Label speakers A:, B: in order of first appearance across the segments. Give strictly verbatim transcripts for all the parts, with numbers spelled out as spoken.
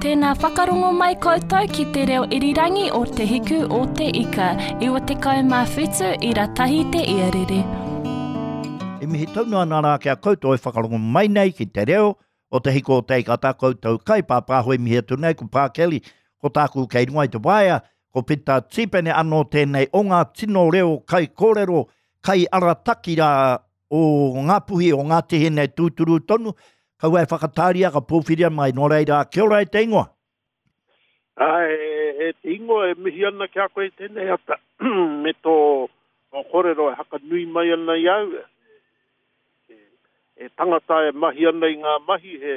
A: Tēnā whakarongo mai koutou ki te reo irirangi o Te Hiku o Te Ika, iwa tekau mā whitu ira tahi te iarere.
B: E mihi tonu ana rā ki a koutou e whakarongo mai nei ki te reo o Te Hiku o Te Ika, tā koutou kai pāpāho e mihi atu nei ko Pā Kelly, ko tāku kei runga i te waea, ko Pita Tīpene anō tēnei o ngā tino reo kai kōrero, kai arataki rā o Ngāpuhi, o Ngāti Hine tūturu tonu, kaua e whakatāria ka pōwhiria mai, nō reira, kia ora e te ingoa.
C: Ai, e te ingoa e mihi ana ki a koe tēnei ata, me tō, tō kōrero e hakanui mai ana i au, e, e tangata e mahi ana i ngā mahi, he,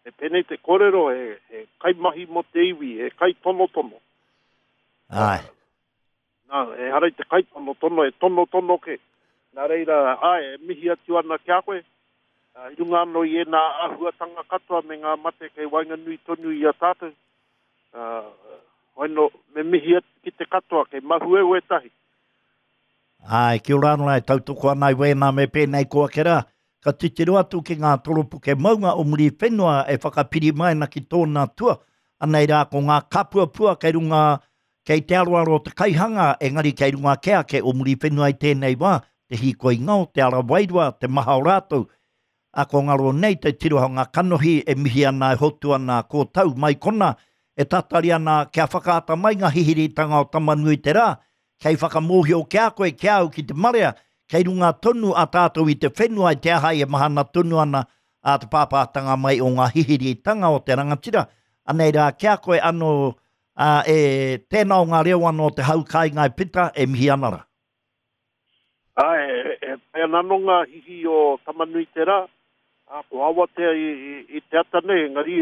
C: he pēnei te kōrero, he, he kaimahi mō te iwi, he kaitonotono.
B: Ai.
C: Nā, e harai te kaitonotono, e tonotono ke. Nā reira, ai, e mihi atu ana ki a koe, i runga anō i ēnā āhuatanga katoa me ngā mate kei waenganui tonu i a tātou. Uh, hoino, me mihi atu ki te katoa, kei mahue wētahi.
B: Ai, kia ora anō e tautoko ana i wēnā me pēnei koa ke rā. Ka titiro atu ki ngā toropuke maunga o Muriwhenua e whakapiri mai ana ki tōna tua. Anei rā ko ngā kapuapua kei runga, kei te aroaro o te kaihanga, engari kei runga ke ake o Muriwhenua i tēnei wā, te hīkoi ngao, te ara wairua, te maha o rātou. A ko ngaro nei te tirohanga kanohi e mihi ana e hotu ana ko tau mai kona, e tatari ana kia whakaata mai ngā hihiritanga o Tamanui te rā, kei whakamōhio ki a koe, ki au ki te marea, kei runga tonu a tātou i te whenua i te ahai e mahana tonu ana a te pāpātanga mai o ngā hihiritanga o te rangatira. Anei rā ki a koe anō a, e tēnā o ngā reo anō te hau kāinga e Pita e mihi ana rā.
C: Ai, e, e pai ana anō ngā hihi o Tamanui te rā, a, ko Awatea i, i, i te ata nei, engari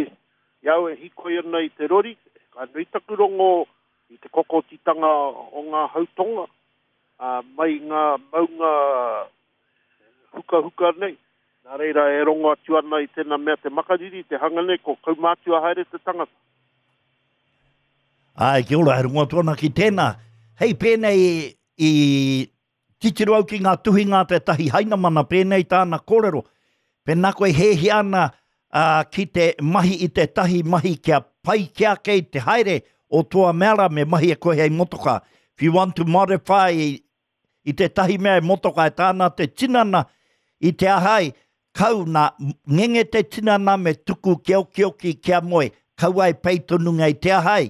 C: i au e hikoi ana i te rori, ka nui taku rongo i te kokotitanga o ngā hautonga, a, mai ngā maunga hukahuka nei. Nā reira e rongo atu ana i tēnā mea te makariri, te hanga nei, ko kaumātua haere te tangata.
B: Ai, kia ora, he rongo atu ana ki tēnā. Hei, pēnei i titiro au ki ngā tuhinga tētahi hainamana, pēnei tāna kōrero. Pēnā koe hēhia ana uh, ki te mahi i tētahi mahi kia pai ki ake i te haere o toa meara me mahi e koe hei motoka. If you want to modify i tētahi mea e motoka e tāna te tinana i te ahai, kau nā ngenge te tinana me tuku kia okioki kia moe, kaua e pei tonu ngai te ahai,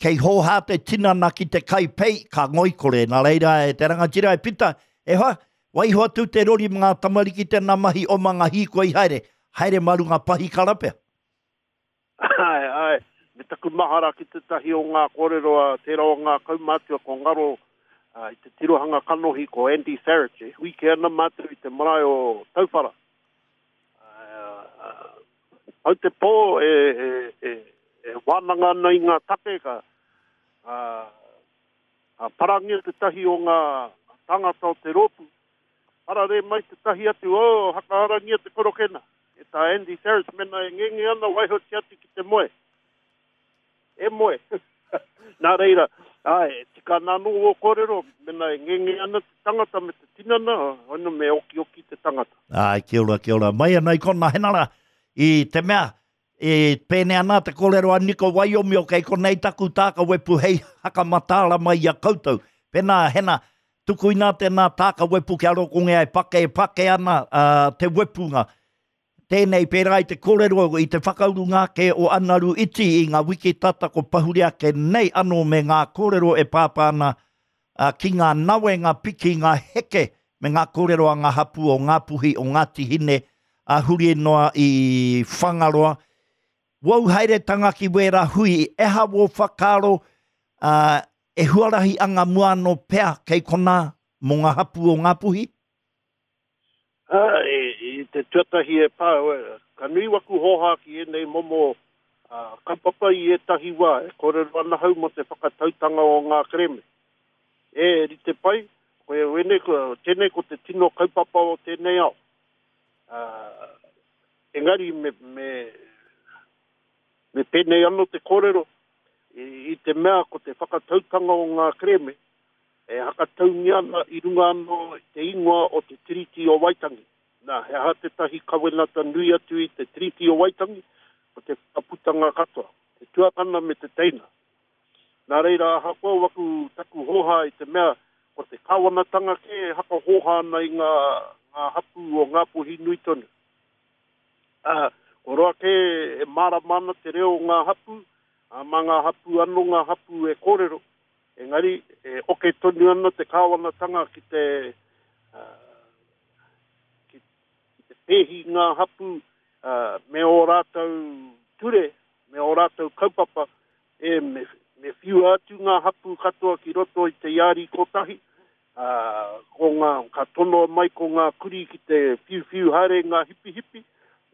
B: kei hōhā te tinana ki te kai pei, ka ngoikore. Nā reira e te rangatira e Pita, e hoa, waiho atu te rori mā ngā tamariki tēnā mahi o mā ngā hīkoi haere, haere mā runga pahikara pea.
C: Ai, ai, me taku mahara ki tētahi o ngā kōrero a tērā o ngā kaumātua ko ngaro uh, i te tirohanga kanohi ko Andy Farage, e hui ke ana mātou i te marae o Tauwhara. Uh, uh, au te pō e, e, e, e wānanga ana i ngā take ka, uh, ka parangia tētahi o ngā tāngata o te rōpū, parare mai tētahi atu, oh, hakaharangia te korokena. E tā Andy Farage mena e ngenge ana waihotia atu ki te moe. E moe. Nā reira, ai, tika nā nō o kōrero, mena e ngenge ana te tangata me te tinana, ono me okioki te tangata.
B: Ai, kia ora, kia ora. Mai ana i kona henara, i te mea, e pēne ana te kōrero a Niko Waiomio, kei konei taku tāka wepu hei hakamataara mai i a koutou. Pēnā, hena, tuku ina tēnā tāka wepu kia rokonge ai pake, pake ana uh, te wepunga. Tēnei pērā i te kōrero i te whakauru ngā ke o Anaru Iti i ngā wiki tata ko pahuri ake nei anō me ngā kōrero e pāpā ana uh, ki ngā nawe, ngā piki, ngā heke me ngā kōrero a ngā hapu o Ngāpuhi o Ngāti Hine a huri noa i Whangaroa. Wau haeretanga ki wērā hui, e ha wō whakaaro uh, e huarahi anga mua anō pea kei kona mō ngā hapu o Ngāpuhi?
C: Ah, e, i te tuatahi e pā, ka nui waku hoha ki ēnei momo uh, kaupapa i ētahi wā, e kōrero ana hau mō te whakatautanga o ngā kereme. E rite pai, koe wene, ko, tēnei ko te tino kaupapa o tēnei ao. Uh, engari me, me, me pēnei anō te kōrero, i, i te mea ko te whakatautanga o ngā kereme, e hakataungia ana i runga anō te ingoa o te Tiriti o Waitangi. Nā, he aha tētahi kawenata nui atu i te Tiriti o Waitangi, ko te whakaputanga katoa, te tuakana me te teina. Nā reira ahakoa waku taku hoha i te mea ko te kāwanatanga kē e hakahoha ana i ngā, ngā hapū o Ngāpuhi nui tonu. Uh, ko roa kē e mārama ana te reo o ngā hapū, a mā ngā hapū anō ngā hapū e kōrero. Engari, e oke tonu ana te kāwanatanga ki te, uh, ki, ki te pēhi ngā hapū uh, me ō rātou ture, me ō rātou kaupapa, e me, me whiua atu ngā hapū katoa ki roto i te iāri kotahi, uh, ko ngā, ka tonoa mai ko ngā kuri ki te whiuwhiu haere ngā hipihipi,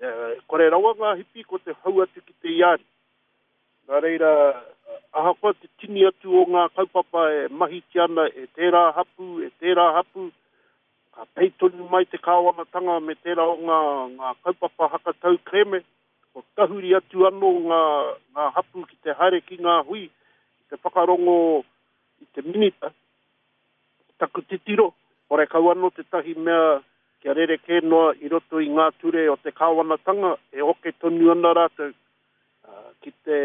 C: uh, kore rawa ngā hipi ko te hau atu ki te iāri. Nā reira, ahakoa te tini atu o ngā kaupapa e mahitia ana e tērā hapū, e tērā hapū, ka pei tonu mai te kāwanatanga me tērā o ngā, ngā kaupapa hakatau kereme, ko tahuri atu anō ngā, ngā hapū ki te haere ki ngā hui, ki te whakarongo i te minita, taku titiro, hore kau anō tētahi mea kia rerekē noa i roto i ngā ture o te kāwanatanga e oke tonu ana rātou uh, ki te,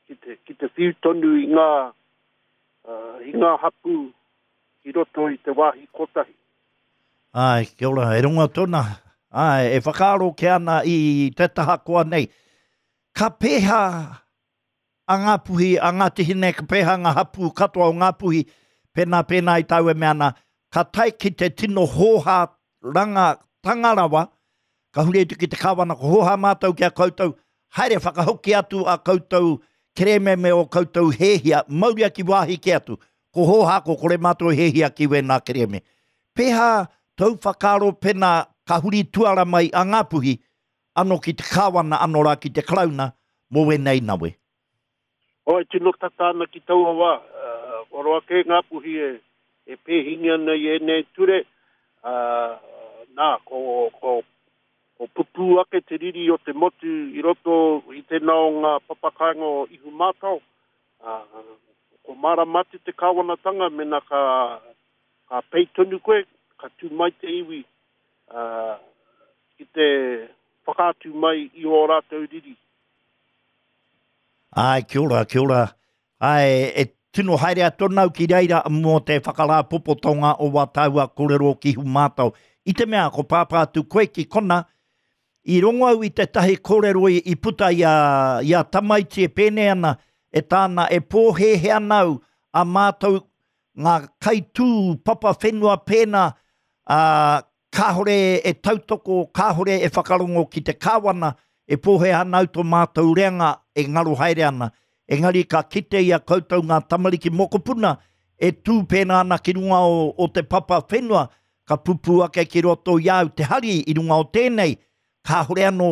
C: ki te, ki te whiu tonu i ngā, uh, i ngā hapū i roto i te wāhi kotahi.
B: Ai, kia ora, e ronga tōna. Ai, e whakaaro ke ana i te taha koa nei. Ka pēhā a Ngāpuhi, a Ngāti Hine, ka pēhā ngā hapū katoa o Ngāpuhi, pēnā pēnā i tāu e mea ana, ka tae ki te tino hōhā ranga tangarawa, ka huri atu ki te kāwana, ko hōhā mātou ki a koutou, haere whakahoki atu a koutou kereme me o koutou hēhia, mauria ki wāhi ki atu, ko hōhā ko kore mātou hēhia ki wēnā kereme. Pēhā tau whakaaro pēnā ka huri tuara mai a Ngāpuhi, ano ki te kāwana, ano rā ki te Karauna, mō wēnei nawe.
C: Oi, tino tata ana ki taua wā, uh, o roa kē Ngāpuhi e, e pēhingi ana i ēnei ture, uh, nā, ko, ko, ko pupū ake te riri o te motu i roto i tēnā o ngā papakāinga o Ihumātao, uh, ko mārama atu te kāwanatanga mena ka, ka pei tonu koe, ka tū mai te iwi uh, ki te whakaatu mai i ō rātou riri.
B: Ai, kia ora, kia ora. Ai, e tino haere atu nau ki reira mō te whakarāpopotonga o wā tāua kōrero ki Ihumātao. I te mea, ko pāpā atu koe ki kona, i rongo au i tētahi kōrero i, i puta i a, i a tamaiti e pēnei ana, e tāna e pōhēhē ana au a mātou ngā kaitū papa whenua pēnā, ā, kāhore e tautoko, kāhore e whakarongo ki te kāwana, e pōhēhē ana au tō mātou reanga e ngaro haere ana. Engari ka kite i a koutou ngā tamariki mokopuna e tū pēnā ana ki runga o, o te papa whenua, ka pupū ake ki roto i au te hari i runga o tēnei, kāhore anō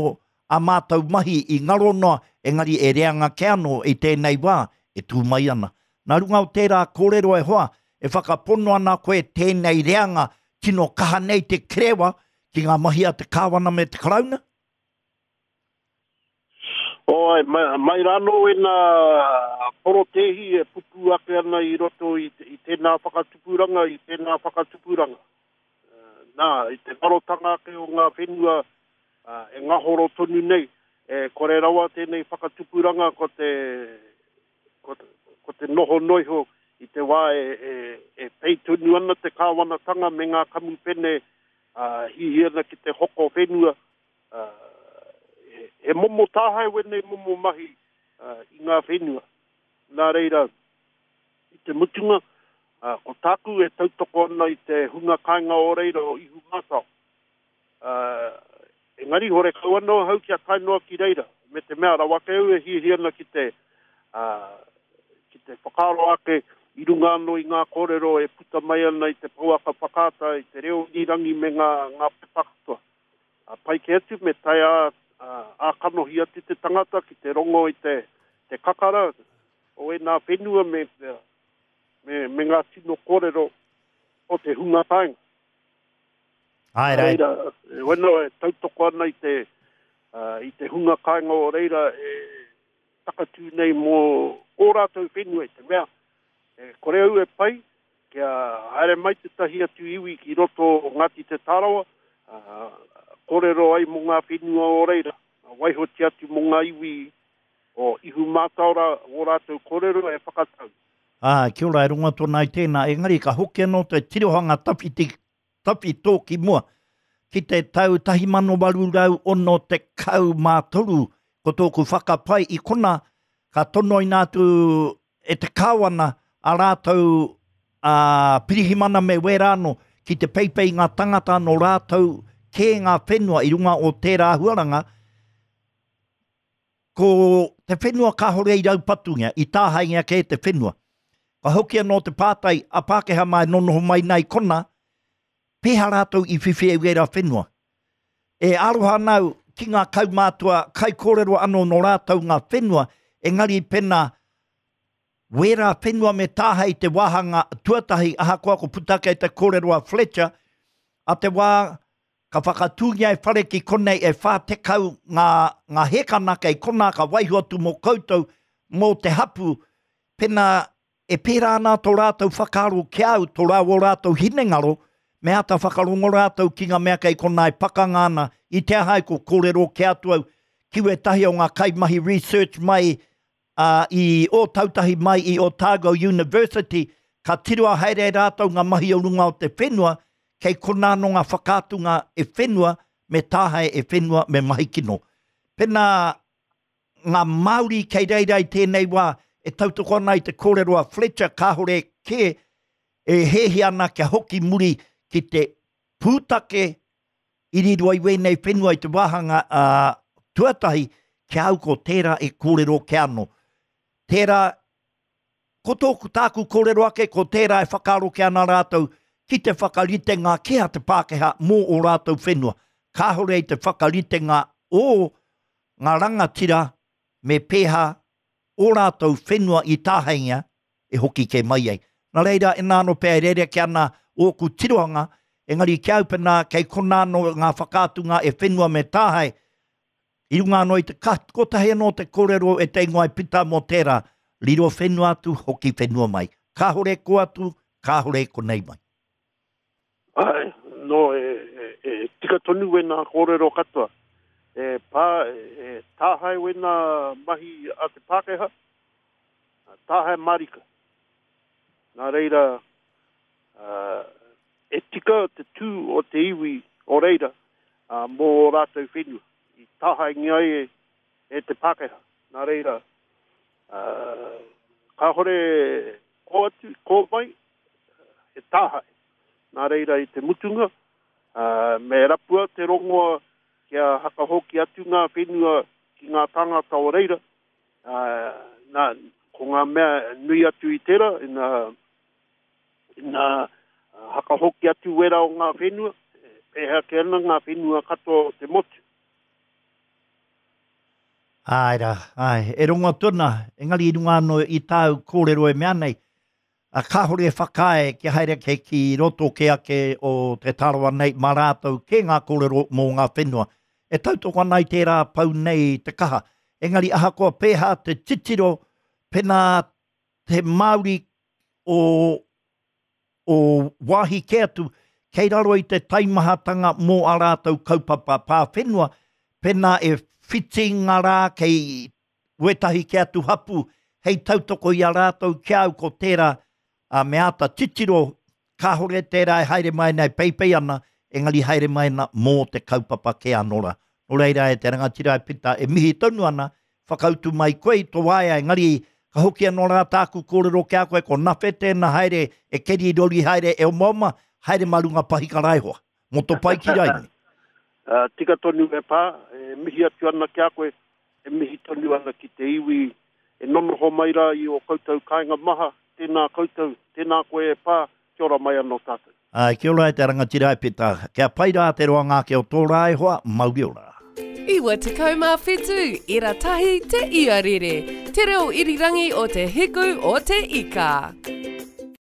B: a mātou mahi i ngaro noa, engari e reanga ke anō i tēnei wā e tū mai ana. Nā runga o tērā kōrero e hoa, e whakapono ana koe tēnei reanga tino kaha nei te kerewa ki ngā mahi a te kāwana me te Karauna?
C: Oi, mai, mai rānō ēnā porotēhi e pupū ake ana i roto i, i tēnā whakatupuranga, i tēnā whakatupuranga. Nā, i te ngarotanga ake o ngā whenua uh, e ngahoro tonu nei, e kore rawa tēnei whakatupuranga ko te, ko te, ko te noho noiho i te wā e, e, e pei tonu ana te kāwanatanga me ngā kamupene uh, hihi ana ki te hoko whenua. Uh, he, he momo tāhae wēnei momo mahi uh, i ngā whenua. Nā reira, i te mutunga, uh, ko tāku e tautoko ana i te hunga kāinga o reira o Ihumātao. Uh, engari hore kau anō hau kia tae noa ki reira, me te mea rawa ake au e hiahia ana ki te, uh, ki te whakaaro ake i runga anō i ngā kōrero e puta mai ana i te pouaka whakaata, i te reo irirangi me ngā, ngā pepa katoa. Uh, pai ke atu me tae a, a, a kanohi atu te tangata ki te rongo i te, te kakara o ēnā whenua me, me, me ngā tino kōrero o te hunga kāinga.
B: Ai, rai.
C: Reira, e wena e tautoko ana i te, uh, i te hunga kāinga o reira e takatū nei mō ō rātou whenua i te mea. E kore au e pai, kia haere mai tētahi atu iwi ki roto o Ngāti Te Tārawa, uh, kōrero ai mō ngā whenua o reira. Waihotia atu mō ngā iwi o Ihumātaora o rātou kōrero e whakatau.
B: Ā, kia ora, e rongo atu ana i tēnā, engari ka hoki anō te tirohanga tawhiti, tawhito ki mua, ki te tau tahi mano waru rau ono tekau mā toru, ko tōku whakapae i kona, ka tonoina atu e te kāwana a rātou a pirihimana me wērā anō, ki te peipei ngā tangata nō rātou kē ngā whenua i runga o tērā huaranga, ko te whenua kāhore i raupatungia, i tāhaingia kē te whenua. Ka hoki anō te pātai a Pākehā mā e nonoho mai nei kona, pēhea rātou i whiwhi e wērā whenua. E aroha ana au ki ngā kaumātua kaikōrero anō nō rātou ngā whenua, engari pena wērā whenua me tāhei te wāhanga tuatahi, ahakoa ko puta kei te kōrero a Fletcher, a te wā ka whakatūngia e whare ki konei e whā tekau ngā, ngā hekana kei kona ka waiho atu mō koutou, mō te hapu, pena e pērā ana tō rātou whakaaro ki au, tō rāua rātou hinengaro, me āta whakarongo rātou ki ngā mea kei kona e pakanga ana, i te aha ai ko kōrero ki atu au, ki wētahi o ngā kaimahi research mai uh, i Ōtautahi mai i Otago University, ka tiroa haere rātou ngā mahi o runga o te whenua, kei kona anō ngā whakaatunga e whenua, me tāhae e whenua, me mahi kino. Pena ngā Māori kei reira i tēnei wā, e tautoko ana i te kōrero a Fletcher, kāhore kē e hēhi ana kia hoki muri ki te pūtake i riro ai wēnei whenua i te wāhanga uh, tuatahi, kia au ko tērā e kōrero ke anō. Tērā, ko tōku tāku kōrero ake, ko tērā e whakaaro ke ana rātou ki te whakaritenga kē a te Pākehā mō o rātou whenua. Kāhore i te whakaritenga o ngā rangatira me pēhā o rātou whenua i tāhaingia e hoki kē mai ai. Nā reira, e nā anō pea e rere ke ana ōku tirohanga, engari ki au pena kei kona anō ngā whakaatunga e whenua me tāhae, i runga anō i te kotahi anō te kōrero e te ingoa e pita mō tērā, riro whenua atu, hoki whenua mai. Kāhore ko atu, kāhore ko nei mai.
C: Ai, no, e, e, e tika tonu wena kōrero katoa. E, pā, e, tāhae wena mahi a te Pākehā, tāhae marika. Nā reira, uh, e tika te tū o te iwi o reira uh, mō rātou whenua. I tāhaengia ai e, e te Pākehā. Nā reira, uh, kāhore ko atu, ko mai, e tāhae. Nā reira i te mutunga, uh, me rapua te rongoa kia hakahoki atu ngā whenua ki ngā tāngata o reira. Uh, nā, ko ngā mea nui atu i tērā, ina, ina hakahoki atu wera o ngā whenua, pēhea ke ana ngā whenua katoa o te motu.
B: Ai rā, ai, e rongo tona, engari i runga anō i tāu kōrero e mea nei, a kāhore e whakaae kia haere ke ki roto ke ake o te tārawa nei mā rātou ke ngā kōrero mō ngā whenua. E tautoko ana i tērā pau nei te kaha. Engari ahakoa pēhā te titiro pena te Māori o, o wāhi ke atu, kei raro i te taimahatanga mō a rātou kaupapa pā whenua, pena e whiti ngā rā kei wētahi ke atu hapu, hei tautoko i a rātou ki au ko tērā a me āta titiro, kāhore tērā e haere mai nei peipei ana, engari haere mai ana mō te kaupapa ke anō rā. Nō reira e te rangatira e pita e mihi tonu ana, whakautu mai koe i tō waea, engari ka hoki anō rā tāku kōrero ki a koe, ko nawhe tēnā haere e keri rori haere e omaoma, haere mā runga pahika raihoa, mō tō pai ki raini.
C: Uh, tika tonu e pā, e mihi atu ana ki a koe, e mihi tonu ana ki te iwi, e nonoho mai rā i o koutou kāinga maha, tēnā koutou, tēnā koe e pā, kia ora mai anō tātou.
B: Ai, kia ora e te rangatira e pita, kia pai rā te roanga ake o tō rā e hoa, mauri ora.
D: Iwa tekau mā whitu, ira tahi te iarere, te reo irirangi o te hiku o te ika.